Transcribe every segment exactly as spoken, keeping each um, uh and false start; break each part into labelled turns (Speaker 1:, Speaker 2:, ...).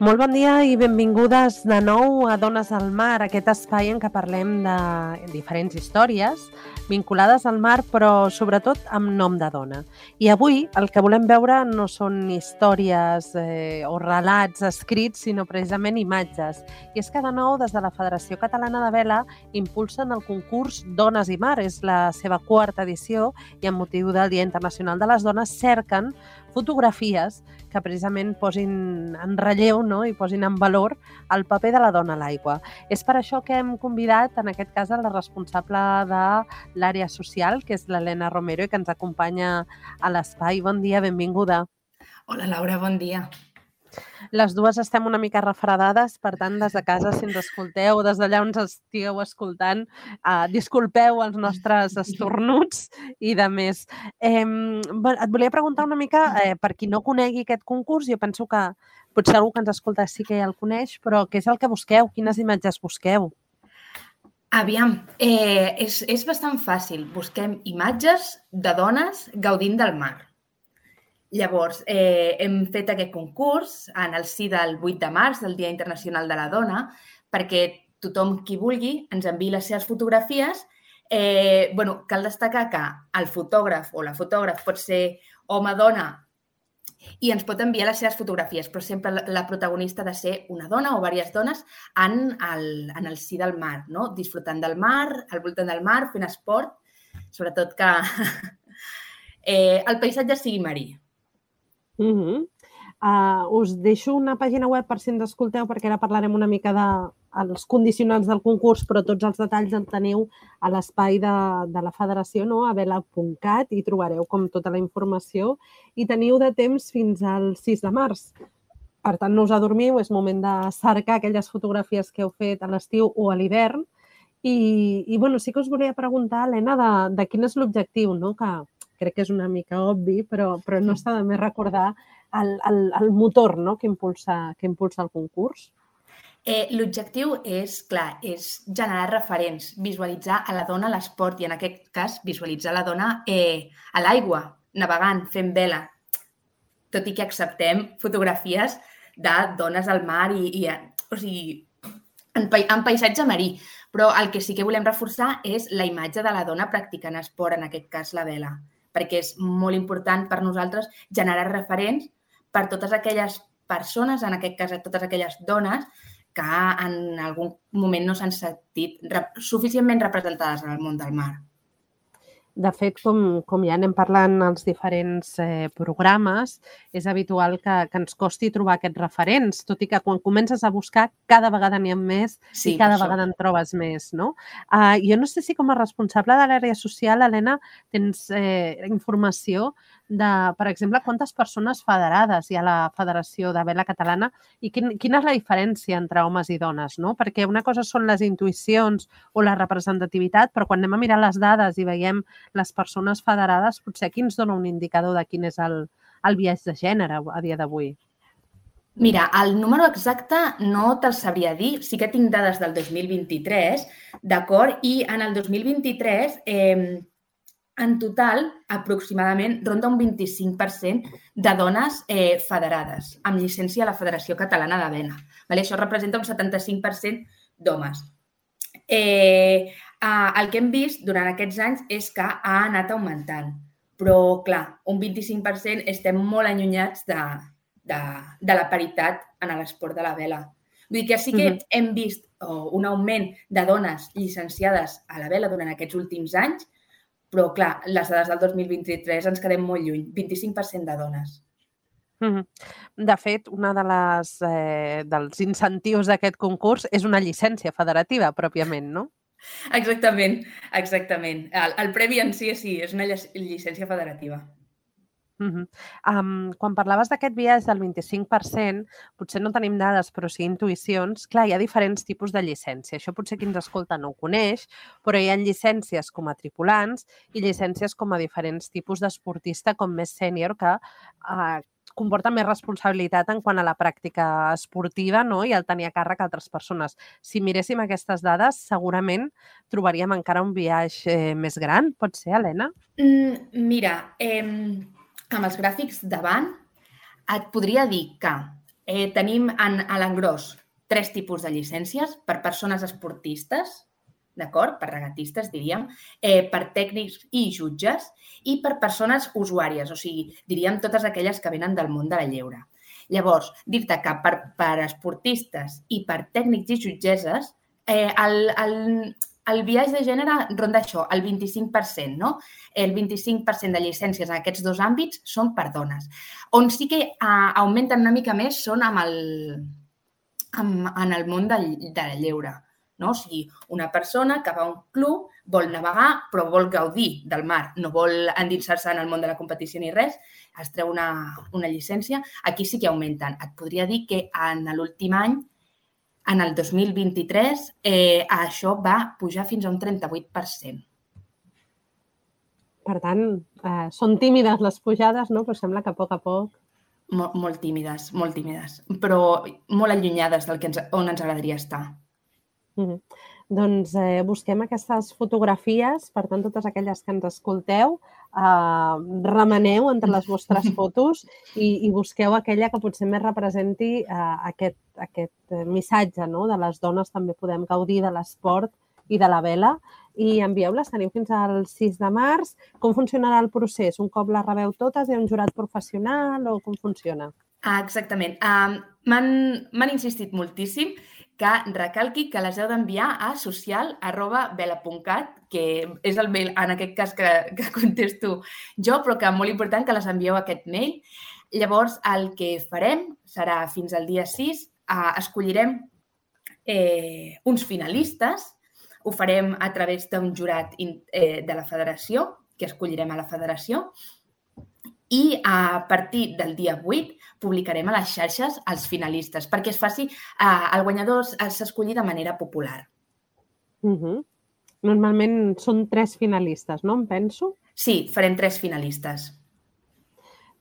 Speaker 1: Molt bon dia i benvingudes de nou a Dones al Mar, aquest espai en què parlem de diferents històries vinculades al mar, però sobretot amb nom de dona. I avui el que volem veure no són històries eh, o relats escrits, sinó precisament imatges. I és que de nou, des de la Federació Catalana de Vela, impulsen el concurs Dones i Mar. És la seva quarta edició i amb motiu del Dia Internacional de les Dones cerquen fotografies que precisament posin en relleu, no? I posin en valor el paper de la dona a l'aigua. És per això que hem convidat, en aquest cas, a la responsable de l'àrea social, que és l'Helena Romero, i que ens acompanya a l'espai. Bon dia, benvinguda.
Speaker 2: Hola, Laura, bon dia.
Speaker 1: Les dues estem una mica refredades, per tant, des de casa, si ens escolteu, des d'allà on ens estigueu escoltant, uh, disculpeu els nostres estornuts i de més. Eh, et volia preguntar una mica, eh, per qui no conegui aquest concurs, jo penso que potser algú que ens escolta sí que ja el coneix, però què és el que busqueu? Quines imatges busqueu?
Speaker 2: Aviam, eh, és, és bastant fàcil. Busquem imatges de dones gaudint del mar. Llavors, eh, hem fet aquest concurs en el si del vuit de març, del Dia Internacional de la Dona, perquè tothom qui vulgui ens enviï les seves fotografies. Eh, bueno, cal destacar que el fotògraf o la fotògraf pot ser home-dona i ens pot enviar les seves fotografies, però sempre la protagonista ha de ser una dona o diverses dones en el, en el si del mar, no? Disfrutant del mar, al voltant del mar, fent esport, sobretot que eh, el paisatge sigui marí.
Speaker 1: Uh -huh. uh, us deixo una pàgina web per si ens escolteu, perquè ara parlarem una mica dels condicionants del concurs, però tots els detalls els teniu a l'espai de, de la federació, no? a vela punt cat, i trobareu com tota la informació i teniu de temps fins al sis de març. Per tant, no us adormiu, és moment de cercar aquelles fotografies que heu fet a l'estiu o a l'hivern. I, i bueno, sí que us volia preguntar, Helena, de, de quin és l'objectiu, no? que crec que és una mica obvi, però, però no està de més recordar el, el, el motor, no? que, impulsa, que impulsa el concurs.
Speaker 2: Eh, L'objectiu és, clar, és generar referents, visualitzar a la dona a l'esport i, en aquest cas, visualitzar la dona eh, a l'aigua, navegant, fent vela, tot i que acceptem fotografies de dones al mar i, i o sigui, en, en paisatge marí. Però el que sí que volem reforçar és la imatge de la dona practicant esport, en aquest cas la vela, perquè és molt important per nosaltres generar referents per totes aquelles persones, en aquest cas totes aquelles dones, que en algun moment no s'han sentit suficientment representades en el món del mar.
Speaker 1: De fet, com, com ja anem parlant als diferents eh, programes, és habitual que, que ens costi trobar aquests referents, tot i que quan comences a buscar cada vegada n'hi ha més
Speaker 2: sí,
Speaker 1: i cada vegada en trobes més, no? Uh, jo no sé si com a responsable de l'àrea social, Helena, tens eh, informació de, per exemple, quantes persones federades hi ha a la Federació de Vela Catalana i quin, quina és la diferència entre homes i dones, no? Perquè una cosa són les intuïcions o la representativitat, però quan anem a mirar les dades i veiem les persones federades, potser aquí ens dona un indicador de quin és el, el biaix de gènere a dia d'avui.
Speaker 2: Mira, el número exacte no te'l sabria dir, sí que tinc dades del dos mil vint-i-tres, d'acord? I en el dos mil vint-i-tres, eh, en total, aproximadament, ronda un vint-i-cinc per cent de dones eh, federades, amb llicència a la Federació Catalana de Vela. Vale? Això representa un setanta-cinc per cent d'homes. Eh, el que hem vist durant aquests anys és que ha anat augmentant, però, clar, un vint-i-cinc per cent estem molt allunyats de, de, de la paritat en l'esport de la vela. Vull dir que sí que uh-huh. hem vist oh, un augment de dones llicenciades a la vela durant aquests últims anys, però, clar, les dades del dos mil vint-i-tres ens quedem molt lluny, vint-i-cinc per cent de dones.
Speaker 1: De fet, un de eh, dels incentius d'aquest concurs és una llicència federativa, pròpiament, no?
Speaker 2: Exactament, exactament. El, el premi en si, sí, és una llicència federativa.
Speaker 1: Uh-huh. Um, quan parlaves d'aquest biaix del vint-i-cinc per cent, potser no tenim dades, però sí intuïcions. Clar, hi ha diferents tipus de llicència. Això potser qui ens escolta no ho coneix, però hi ha llicències com a tripulants i llicències com a diferents tipus d'esportista, com més sènior, que uh, comporta més responsabilitat en quant a la pràctica esportiva, no? I el tenir a càrrec altres persones. Si miréssim aquestes dades, segurament trobaríem encara un biaix eh, més gran. Pot ser, Helena?
Speaker 2: Mm, mira, eh, amb els gràfics davant et podria dir que Eh, tenim en, a l'engròs tres tipus de llicències per persones esportistes, d'acord? Per regatistes, diríem, eh, per tècnics i jutges i per persones usuàries, o sigui, diríem totes aquelles que venen del món de la lleure. Llavors, dir-te que per, per esportistes i per tècnics i jutgesses, eh, el, el, el biaix de gènere ronda això, el vint-i-cinc per cent, no? El vint-i-cinc per cent de llicències en aquests dos àmbits són per dones. On sí que uh, augmenten una mica més són amb el, amb, en el món de, de la lleure. No? O sigui, una persona que va a un club, vol navegar, però vol gaudir del mar, no vol endinsar-se en el món de la competició ni res, es treu una, una llicència, aquí sí que augmenten. Et podria dir que en l'últim any, en el dos mil vint-i-tres, eh, això va pujar fins a un trenta-vuit per cent.
Speaker 1: Per tant, eh, són tímides les pujades, no? Però sembla que a poc a poc...
Speaker 2: Molt, molt tímides, molt tímides, però molt allunyades del que ens, on ens agradaria estar.
Speaker 1: Mm-hmm. Doncs eh, busquem aquestes fotografies, per tant, totes aquelles que ens escolteu, eh, remeneu entre les vostres fotos i, i busqueu aquella que potser més representi eh, aquest, aquest missatge, no? De les dones també podem gaudir de l'esport i de la vela, i envieu-les, teniu fins al sis de març. Com funcionarà el procés? Un cop les rebeu totes, hi ha un jurat professional o com funciona?
Speaker 2: Ah, exactament. Um, M'han insistit moltíssim que recalqui que les heu d'enviar a social arroba vela punt cat, que és el mail, en aquest cas, que, que contesto jo, però que és molt important que les envieu a aquest mail. Llavors, el que farem serà fins al dia sis, eh, escollirem eh, uns finalistes, ho farem a través d'un jurat eh, de la federació, que escollirem a la federació, i a partir del dia vuit publicarem a les xarxes els finalistes, perquè es faci, eh, el guanyador s'escolli de manera popular.
Speaker 1: Uh-huh. Normalment són tres finalistes, no? Em penso?
Speaker 2: Sí, farem tres finalistes.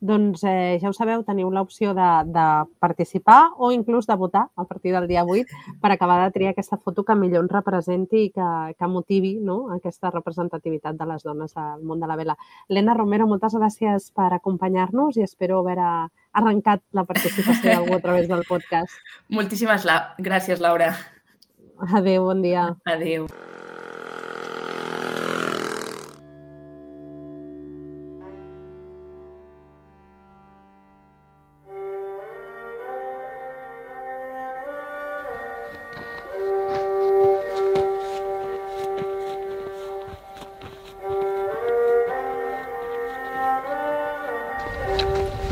Speaker 1: Doncs eh, ja ho sabeu, teniu l'opció de, de participar o inclús de votar a partir del dia vuit per acabar de triar aquesta foto que millor ens representi i que, que motivi, no? Aquesta representativitat de les dones al món de la vela. Elena Romero, moltes gràcies per acompanyar-nos i espero haver arrencat la participació d'algú a través del podcast.
Speaker 2: Moltíssimes gràcies, Laura.
Speaker 1: Adéu, bon dia.
Speaker 2: Adéu.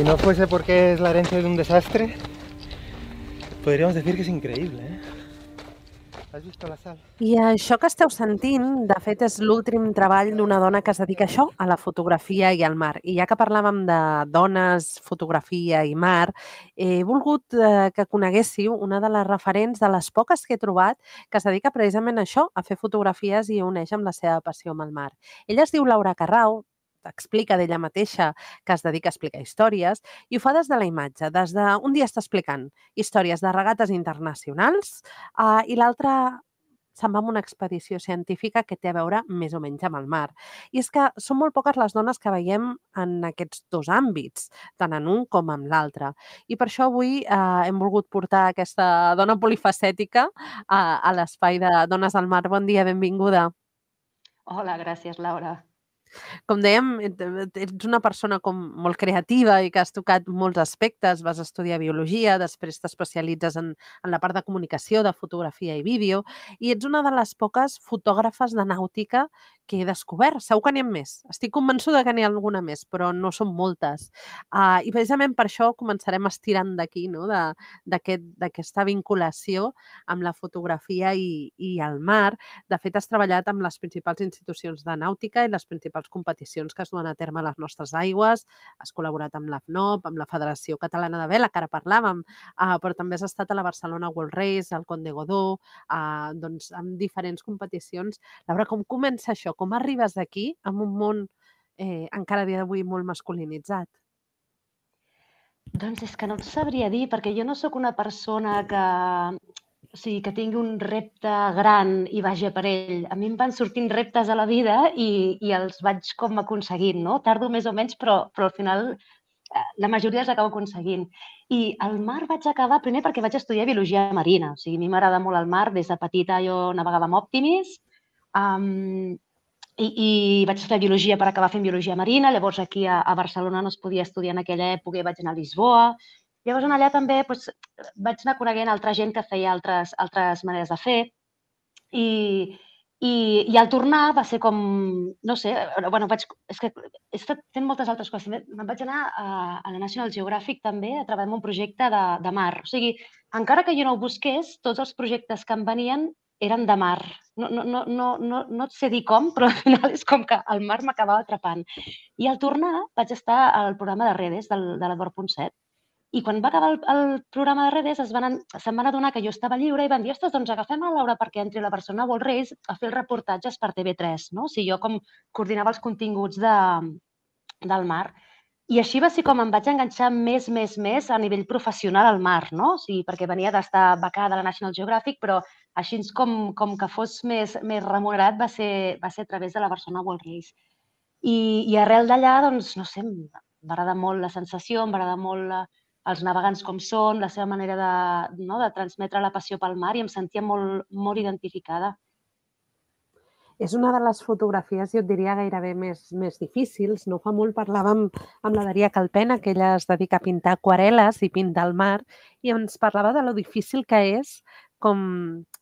Speaker 3: Si no fuese porque es la herencia de un desastre, podríamos decir que es increíble, ¿eh? Has vist la sal?
Speaker 1: I això que esteu sentint, de fet, és l'últim treball d'una dona que es dedica a això, a la fotografia i al mar. I ja que parlàvem de dones, fotografia i mar, he volgut eh, que coneguéssiu una de les referents de les poques que he trobat que es dedica precisament a això, a fer fotografies i uneix amb la seva passió amb el mar. Ella es diu Laura Carrau, explica d'ella mateixa que es dedica a explicar històries i ho fa des de la imatge. Des d'un dia està explicant històries de regates internacionals eh, i l'altre se'n va amb una expedició científica que té a veure més o menys amb el mar. I és que són molt poques les dones que veiem en aquests dos àmbits, tant en un com en l'altre. I per això avui eh, hem volgut portar aquesta dona polifacètica a, a l'espai de Dones al Mar. Bon dia, benvinguda.
Speaker 4: Hola, gràcies, Laura.
Speaker 1: Com dèiem, ets una persona com molt creativa i que has tocat molts aspectes. Vas estudiar biologia, després t'especialitzes en, en la part de comunicació, de fotografia i vídeo, i ets una de les poques fotògrafes de nàutica que he descobert. Segur que n'hi ha més. Estic convençuda que n'hi ha alguna més, però no són moltes. Uh, I precisament per això començarem estirant d'aquí, no? d'aquesta aquest, vinculació amb la fotografia i, i el mar. De fet, has treballat amb les principals institucions de nàutica i les principals competicions que es duen a terme a les nostres aigües. Has col·laborat amb l'A F N O P, amb la Federació Catalana de Vela, que ara parlàvem, uh, però també has estat a la Barcelona World Race, al Conde Godó, uh, doncs, amb diferents competicions. Laura, com comença això? Com arribes aquí, en un món eh, encara a dia d'avui molt masculinitzat?
Speaker 4: Doncs és que no et sabria dir, perquè jo no sóc una persona que, o sigui, que tingui un repte gran i vagi per ell. A mi em van sortint reptes a la vida i, i els vaig com aconseguint, no? Tardo més o menys, però, però al final la majoria els acabo aconseguint. I el mar vaig acabar primer perquè vaig estudiar biologia marina. O sigui, a mi m'agrada molt el mar. Des de petita jo navegava amb Optimis um, i, i vaig estudiar biologia per acabar fent biologia marina. Llavors aquí a, a Barcelona no es podia estudiar en aquella època i vaig anar a Lisboa. Llavors allà també doncs, vaig anar coneguent altra gent que feia altres, altres maneres de fer. I, i, i al tornar va ser com, no sé, bueno, vaig, és que he estat fent moltes altres coses. Me'n vaig anar a, a la National Geographic també a treballar en un projecte de, de mar. O sigui, encara que jo no ho busqués, tots els projectes que em venien eren de mar. No, no, no, no, no, no et sé dir com, però al final és com que el mar m'acabava atrapant. I al tornar vaig estar al programa de Redes del, de l'Eduard Ponset. I quan va acabar el, el programa de Redes es van, se'n van adonar que jo estava lliure i van dir, ostres, doncs agafem a Laura perquè entri a la Barcelona World Race a fer els reportatges per T V tres, no? O sigui, jo com coordinava els continguts de, del mar. I així va ser com em vaig enganxar més, més, més a nivell professional al mar, no? O sigui, perquè venia d'estar becada a la National Geographic, però així com, com que fos més, més remunerat va ser, va ser a través de la Barcelona World Race. I, i arrel d'allà, doncs, no sé, m'agrada molt la sensació, m'agrada molt la, els navegants com són, la seva manera de, no, de transmetre la passió pel mar i em sentia molt, molt identificada.
Speaker 1: És una de les fotografies, jo et diria, gairebé més, més difícils. No fa molt parlàvem amb la Daria Calpena, que ella es dedica a pintar aquarel·les i pintar el mar, i ens parlava de lo difícil que és com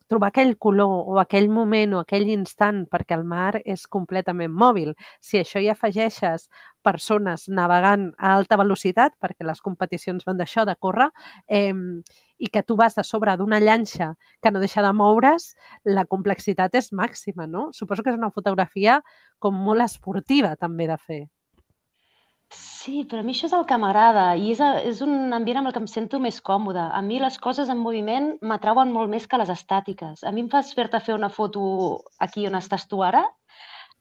Speaker 1: trobar aquell color o aquell moment o aquell instant, perquè el mar és completament mòbil. Si a això hi afegeixes persones navegant a alta velocitat, perquè les competicions van d'això, de córrer, eh, i que tu vas a sobre d'una llanxa que no deixa de moure's, la complexitat és màxima, no? Suposo que és una fotografia com molt esportiva també de fer.
Speaker 4: Sí, però a mi això és el que m'agrada i és, és un ambient amb el que em sento més còmode. A mi les coses en moviment m'atrauen molt més que les estàtiques. A mi em fas fer-te fer una foto aquí on estàs tu ara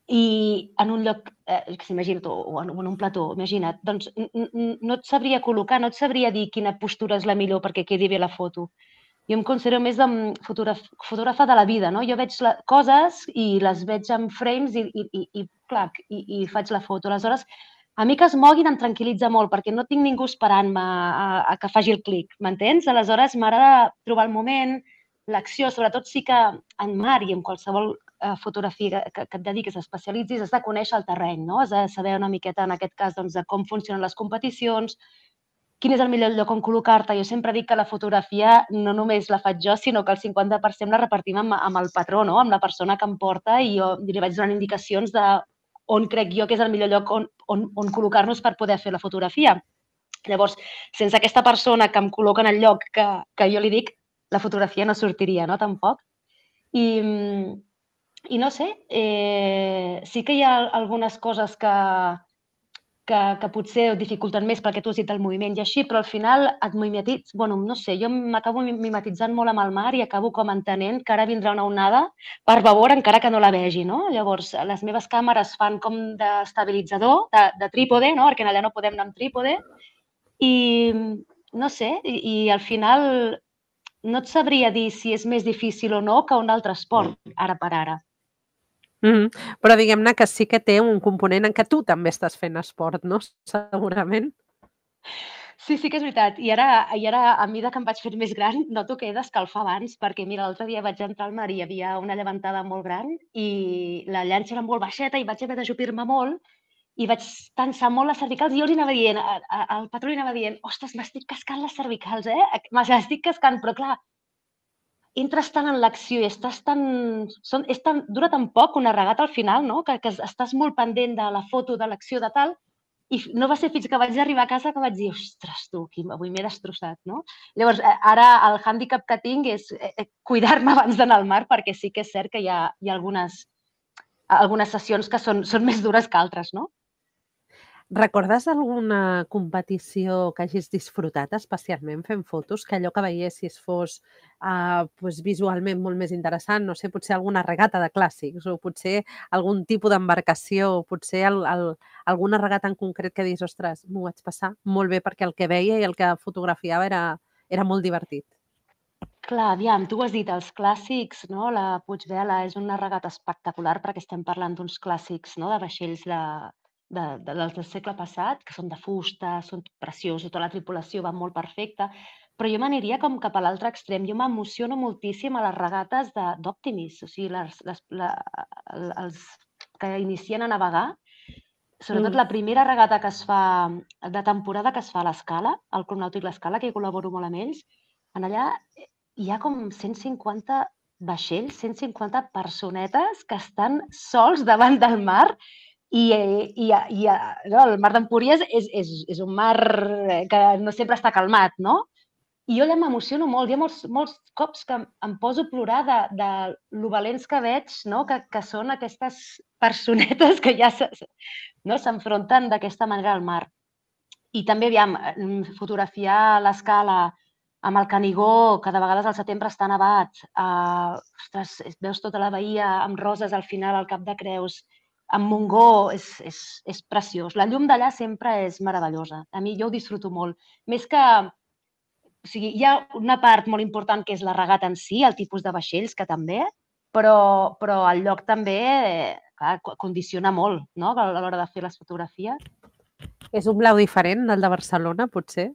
Speaker 4: i en un lloc, eh, imagina't, o en, en un plató, imagina't, doncs no et sabria col·locar, no et sabria dir quina postura és la millor perquè quedi bé la foto. Jo em considero més de fotògraf, fotògrafa de la vida, no? Jo veig la, coses i les veig en frames i, i, i, i, clar, i, i faig la foto. Aleshores, a mi que es moguin em tranquil·litza molt perquè no tinc ningú esperant-me a, a que faci el clic, m'entens? Aleshores, m'agrada trobar el moment, l'acció, sobretot sí que en mar i en qualsevol eh, fotografia que, que et dediquis, especialitzis, has de conèixer el terreny, no? Has de saber una miqueta, en aquest cas, doncs, de com funcionen les competicions, quin és el millor lloc on col·locar-te. Jo sempre dic que la fotografia no només la faig jo, sinó que el cinquanta per cent la repartim amb, amb el patró, no? Amb la persona que em porta i jo li vaig donant indicacions de on crec jo que és el millor lloc on, on, on col·locar-nos per poder fer la fotografia. Llavors, sense aquesta persona que em col·loca en el lloc que, que jo li dic, la fotografia no sortiria, no? Tampoc. I, i no sé, eh, sí que hi ha algunes coses que, que, que potser dificulten més perquè tu has dit el moviment i així, però al final et mimetitzes, bueno, no sé, jo m'acabo mimetitzant molt amb el mar i acabo com entenent que ara vindrà una onada per favor, encara que no la vegi, no? Llavors, les meves càmeres fan com d'estabilitzador, de, de trípode, no? Perquè allà no podem anar amb trípode i no sé, i, i al final no et sabria dir si és més difícil o no que un altre esport, ara per ara.
Speaker 1: Mm-hmm. Però diguem-ne que sí que té un component en què tu també estàs fent esport, no? Segurament.
Speaker 4: Sí, sí que és veritat. I ara, i ara a mesura que em vaig fer més gran, noto que he d'escalfar abans, perquè mira, l'altre dia vaig entrar al mar i hi havia una llevantada molt gran i la llanxa era molt baixeta i vaig haver d'ajupir-me molt i vaig tensar molt les cervicals i jo li anava dient, al patró li anava dient, ostres, m'estic cascant les cervicals, eh? Me les estic cascant, però clar, entres tant en l'acció i estàs tan... Són, és tan... Dura tan poc una regata al final, no? Que, que estàs molt pendent de la foto, de l'acció, de tal, i no va ser fins que vaig arribar a casa que vaig dir, ostres, tu, avui m'he destrossat, no? Llavors, ara el hàndicap que tinc és cuidar-me abans d'anar al mar, perquè sí que és cert que hi ha, hi ha algunes, algunes sessions que són, són més dures que altres, no?
Speaker 1: Recordes alguna competició que hagis disfrutat especialment fent fotos, que allò que veiessis fos uh, pues, visualment molt més interessant? No sé, potser alguna regata de clàssics o potser algun tipus d'embarcació o potser el, el, alguna regata en concret que dius, ostres, m'ho vaig passar molt bé perquè el que veia i el que fotografiava era, era molt divertit.
Speaker 4: Clar, aviam, tu has dit els clàssics, no? La Puigvela és una regata espectacular perquè estem parlant d'uns clàssics, no? De vaixells de... de, de, dels del segle passat, que són de fusta, són preciosos, tota la tripulació va molt perfecta, però jo m'aniria com cap a l'altre extrem. Jo m'emociono moltíssim a les regates d'Optimis, o sigui, les, les, la, els que inicien a navegar, sobretot
Speaker 1: Mm.
Speaker 4: la primera regata que es fa, de temporada que es fa a l'Escala, al Club Nàutic l'Escala, que hi col·laboro molt amb ells, en allà hi ha com cent cinquanta vaixells, cent cinquanta personetes que estan sols davant del mar i, i, i no, el mar d'Empúries és, és, és un mar que no sempre està calmat, no? I jo allà m'emociono molt. Hi ha molts, molts cops que em poso a plorar de, de lo valents que veig, no? que, que són aquestes personetes que ja s'enfronten no? d'aquesta manera al mar. I també, aviam, fotografiar l'Escala amb el Canigó, que de vegades al setembre està nevat. Uh, ostres, veus tota la bahia amb roses al final, al Cap de Creus, amb Montgó, és, és, és preciós. La llum d'allà sempre és meravellosa. A mi jo ho disfruto molt. Més que... O sigui, hi ha una part molt important que és la regata en si, el tipus de vaixells, que també, però, però el lloc també clar, condiciona molt, no?, a l'hora de fer les fotografies.
Speaker 1: És un blau diferent del de Barcelona, potser?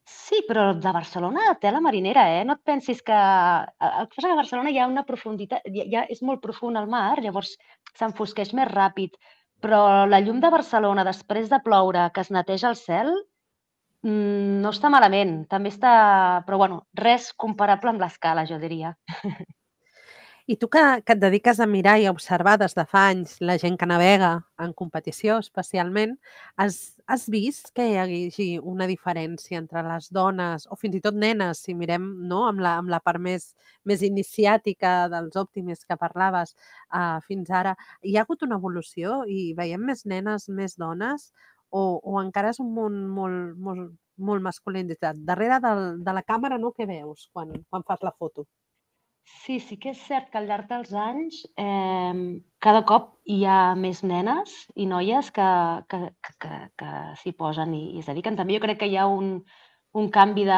Speaker 4: Sí, però de Barcelona té la marinera, eh? No et pensis que... El que passa que a Barcelona hi ha una profunditat... Ja és molt profund el mar, llavors s'enfosqueix més ràpid, però la llum de Barcelona, després de ploure, que es neteja el cel, no està malament, també està... Però, bueno, res comparable amb l'Escala, jo diria.
Speaker 1: I tu que, que et dediques a mirar i a observar des de fa anys la gent que navega en competició especialment, has, has vist que hi hagi una diferència entre les dones o fins i tot nenes, si mirem no, amb, la, amb la part més, més iniciàtica dels Optimis que parlaves uh, fins ara? Hi ha hagut una evolució i veiem més nenes, més dones o, o encara és un món molt, molt, molt masculinitzat? Darrere del, de la càmera, no, què veus quan, quan fas la foto?
Speaker 4: Sí, sí que és cert que al llarg dels anys eh, cada cop hi ha més nenes i noies que, que, que, que s'hi posen i, i es dediquen. També jo crec que hi ha un, un canvi de...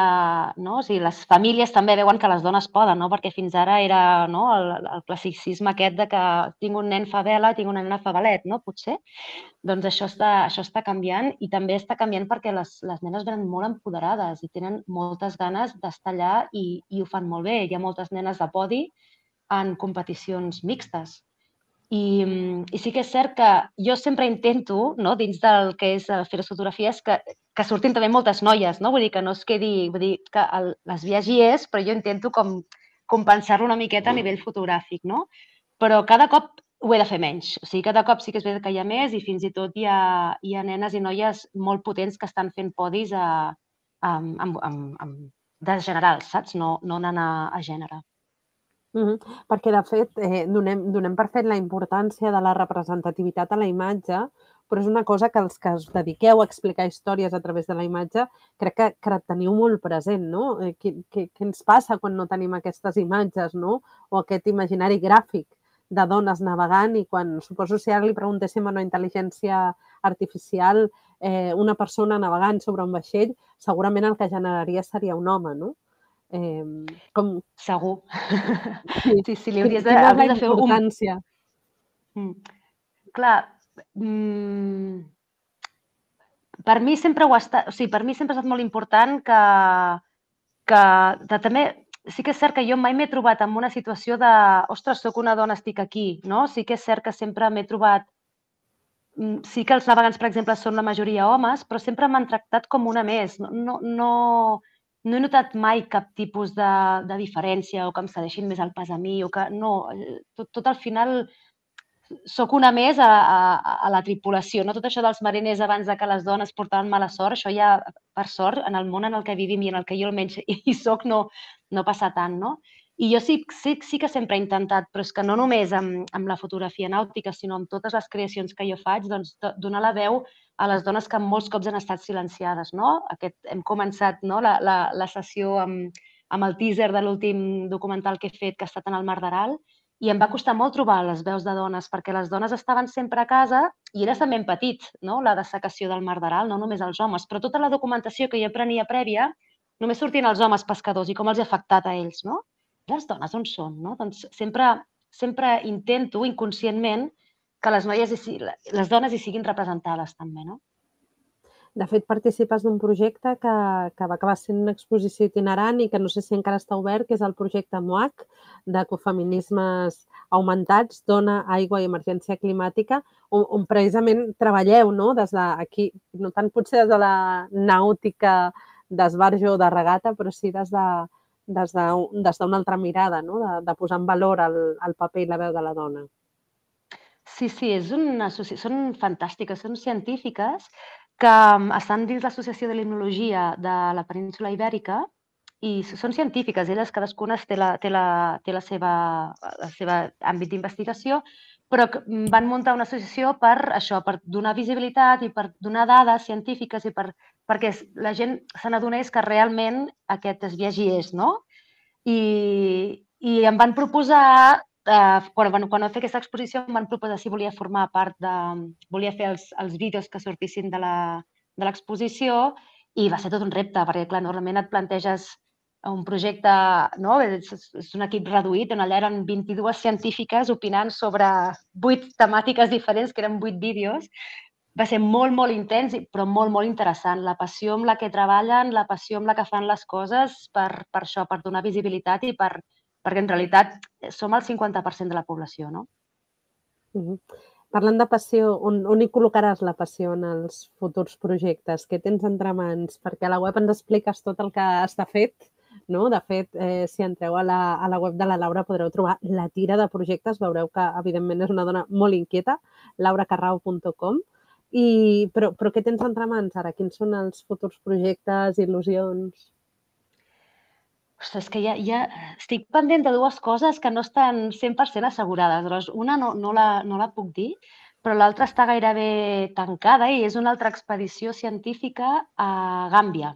Speaker 4: No? O sigui, les famílies també veuen que les dones poden, no? Perquè fins ara era no? el, el classicisme aquest de que tinc un nen fa vela, tinc una nena fa ballet, no? Potser. Doncs això està, això està canviant i també està canviant perquè les, les nenes venen molt empoderades i tenen moltes ganes d'estar allà i, i ho fan molt bé. Hi ha moltes nenes de podi en competicions mixtes. I, i sí que és cert que jo sempre intento, no, dins del que és fer les fotografies, que, que surtin també moltes noies, no? Vull dir que no es quedi... Vull dir que el, les viagi és, però jo intento com compensar-lo una miqueta a nivell fotogràfic, no? Però cada cop ho he de fer menys. O sigui, cada cop sí que és veritat que hi ha més i fins i tot hi ha, hi ha nenes i noies molt potents que estan fent podis a, a, a, a, a, de generals, saps? No, no anant a, a gènere.
Speaker 1: Mm-hmm. Perquè, de fet, eh, donem, donem per fet la importància de la representativitat a la imatge, però és una cosa que els que us dediqueu a explicar històries a través de la imatge crec que, que teniu molt present, no? Eh, què, què, què ens passa quan no tenim aquestes imatges, no? O aquest imaginari gràfic de dones navegant i quan, suposo, si ara li preguntéssim a una intel·ligència artificial eh, una persona navegant sobre un vaixell, segurament el que generaria seria un home, no? Eh, com...
Speaker 4: Segur.
Speaker 1: Sí,
Speaker 4: sí, sí, li hauries de,
Speaker 1: Quina
Speaker 4: hauries de fer un...
Speaker 1: importància?
Speaker 4: Mm. Clar, mm... per mi sempre ho ha estat... O sigui, per mi sempre ha estat molt important que, que de, també... Sí que és cert que jo mai m'he trobat en una situació de ostres, soc una dona, estic aquí, no? Sí que és cert que sempre m'he trobat... Sí que els navegants, per exemple, són la majoria homes, però sempre m'han tractat com una més. No, no, no, no he notat mai cap tipus de, de diferència o que em cedeixin més el pas a mi o que... No, tot, tot al final soc una més a, a, a la tripulació. No tot això dels mariners abans de que les dones portaven mala sort, això ja, per sort, en el món en el que vivim i en el que jo almenys hi soc, no, no passa tant, no? I jo sí, sí, sí que sempre he intentat, però és que no només amb, amb la fotografia nàutica, sinó amb totes les creacions que jo faig, doncs, donar la veu a les dones que molts cops han estat silenciades, no? Aquest, hem començat no? la, la, la sessió amb, amb el teaser de l'últim documental que he fet, que ha estat en el Mar d'Aral, i em va costar molt trobar les veus de dones, perquè les dones estaven sempre a casa i era també petit, no? La dessecació del Mar d'Aral, no només els homes, però tota la documentació que jo prenia prèvia, només sortien els homes pescadors i com els ha afectat a ells, no? Les dones on són, no? Doncs sempre, sempre intento inconscientment que les noies, les dones hi siguin representades també, no?
Speaker 1: De fet, participes d'un projecte que, que va acabar sent una exposició itinerant i que no sé si encara està obert, que és el projecte M O A C, d'ecofeminismes augmentats, dona, aigua i emergència climàtica, on, on precisament treballeu, no? Des d'aquí, no tant potser des de la nàutica d'esbarjo o de regata, però sí des de des d'una altra mirada, no? de, de posar en valor el, el paper i la veu de la dona.
Speaker 4: Sí, sí, és una, són fantàstiques, són científiques que estan dins l'Associació de Limnologia de la Península Ibèrica i són científiques, elles cadascuna té la, té la, té la seva, la seva àmbit d'investigació, però van muntar una associació per això, per donar visibilitat i per donar dades científiques i per, perquè la gent se n'adonés que realment aquest esbiaix hi és, no? I, i em van proposar, eh, quan, quan vam fer aquesta exposició, em van proposar si volia formar part de... volia fer els, els vídeos que sortissin de l'exposició i va ser tot un repte, perquè clar, normalment et planteges un projecte, no? És, és un equip reduït, on allà eren vint-i-dues científiques opinant sobre vuit temàtiques diferents, que eren vuit vídeos. Va ser molt, molt intens, però molt, molt interessant. La passió amb la que treballen, la passió amb la que fan les coses per, per això, per donar visibilitat i per, perquè en realitat som el cinquanta per cent de la població, no?
Speaker 1: Uh-huh. Parlant de passió, on, on hi col·locaràs la passió en els futurs projectes? Què tens entre mans? Perquè a la web ens expliques tot el que està fet, no? De fet, eh, si entreu a la, a la web de la Laura podreu trobar la tira de projectes. Veureu que, evidentment, és una dona molt inquieta, laura carrao punt com. I, però, però què tens entre mans ara? Quins són els futurs projectes, il·lusions?
Speaker 4: Ostres, és que ja, ja estic pendent de dues coses que no estan cent per cent assegurades. Llavors, una no, no, la, no la puc dir, però l'altra està gairebé tancada i és una altra expedició científica a Gàmbia,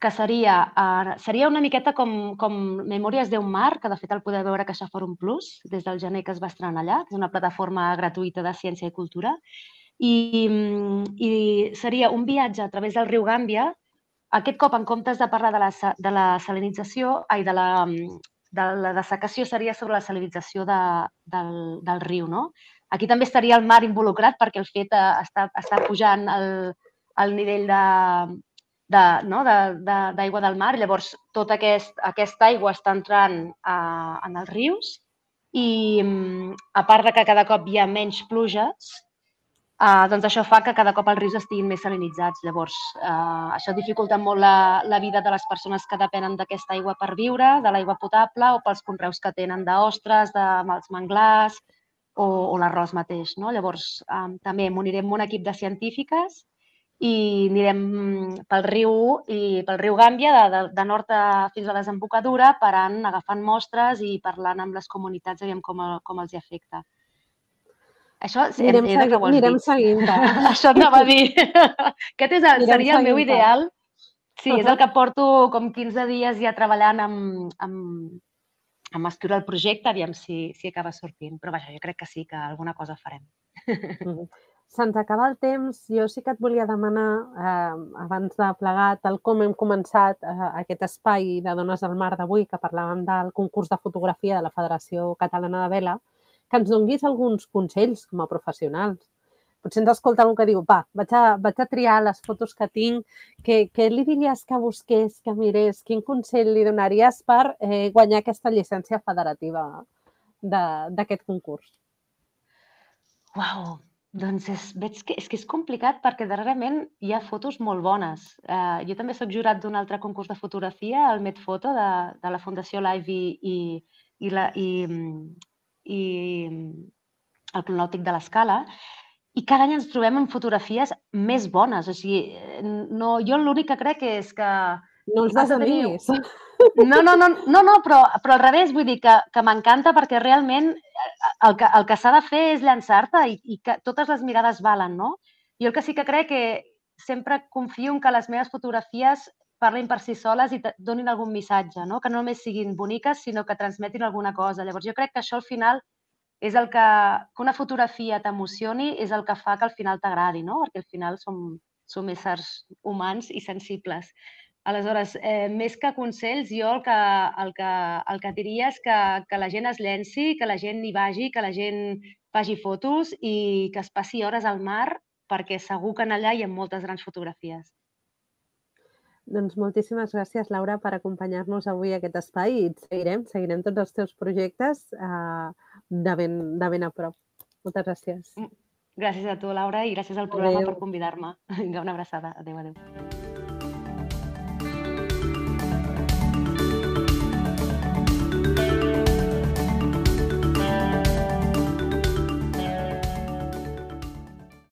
Speaker 4: que seria, uh, seria una miqueta com, com Memòries d'un mar, que de fet el podeu veure a Caixa Fòrum Plus, des del gener que es va estrenar allà, que és una plataforma gratuïta de ciència i cultura. I, i seria un viatge a través del riu Gàmbia. Aquest cop, en comptes de parlar de la, de la salinització, ai, de la, de la dessecació, seria sobre la salinització de, del, del riu, no? Aquí també estaria el mar involucrat, perquè el fet està, està pujant el, el nivell de, de, no? d'aigua de, del mar. Llavors, tota aquest, aquesta aigua està entrant a, en els rius i, a part de que cada cop hi ha menys pluges, Uh, doncs això fa que cada cop els rius estiguin més salinitzats. Llavors, uh, això dificulta molt la, la vida de les persones que depenen d'aquesta aigua per viure, de l'aigua potable, o pels conreus que tenen d'ostres, dels manglars o, o l'arròs mateix, no? Llavors, um, també m'unirem amb un equip de científiques i anirem pel riu, i pel riu Gàmbia, de, de, de nord a, fins a la desembocadura, parant, agafant mostres i parlant amb les comunitats, aviam com, com els hi afecta. Això
Speaker 1: anirem
Speaker 4: he de creuar els
Speaker 1: anirem
Speaker 4: dits.
Speaker 1: seguint-te.
Speaker 4: Això anava a dir. Aquest és el, seria el meu ideal. Sí, és el que porto com quinze dies ja treballant amb, amb, amb escriure el projecte, aviam si, si acaba sortint. Però vaja, jo crec que sí, que alguna cosa farem.
Speaker 1: Se'ns acaba el temps. Jo sí que et volia demanar, eh, abans de plegar, tal com hem començat eh, aquest espai de Dones al Mar d'avui, que parlàvem del concurs de fotografia de la Federació Catalana de Vela, que ens donguis alguns consells com a professionals. Potser ens escolta algú que diu, va, vaig a, vaig a triar les fotos que tinc, què, què li diries que busqués, que mirés, quin consell li donaries per eh, guanyar aquesta llicència federativa d'aquest concurs?
Speaker 4: Uau, doncs és, veig que és, que és complicat perquè darrerament hi ha fotos molt bones. Uh, jo també soc jurat d'un altre concurs de fotografia, el Medfoto, de, de la Fundació Live i, i, i, la, i i el cronòptic de l'Escala, i cada any ens trobem amb fotografies més bones. O sigui, no, jo l'únic que crec és que...
Speaker 1: No els desanimis.
Speaker 4: No, no, no, no, no però, però al revés, vull dir que, que m'encanta perquè realment el que, el que s'ha de fer és llançar-te i, i que totes les mirades valen, no? Jo el que sí que crec que sempre confio en que les meves fotografies parlin per si soles i donin algun missatge, no? Que no només siguin boniques, sinó que transmetin alguna cosa. Llavors, jo crec que això al final és el que, que una fotografia t'emocioni, és el que fa que al final t'agradi, no? Perquè al final som, som éssers humans i sensibles. Aleshores, eh, més que consells, jo el que, el que, el que diria és que, que la gent es llenci, que la gent hi vagi, que la gent faci fotos i que es passi hores al mar, perquè segur que en allà hi ha moltes grans fotografies.
Speaker 1: Doncs moltíssimes gràcies, Laura, per acompanyar-nos avui a aquest espai i seguirem, seguirem tots els teus projectes de ben a prop. Moltes gràcies.
Speaker 4: Gràcies a tu, Laura, i gràcies al programa per convidar-me. Vinga, una abraçada. Adéu, adéu.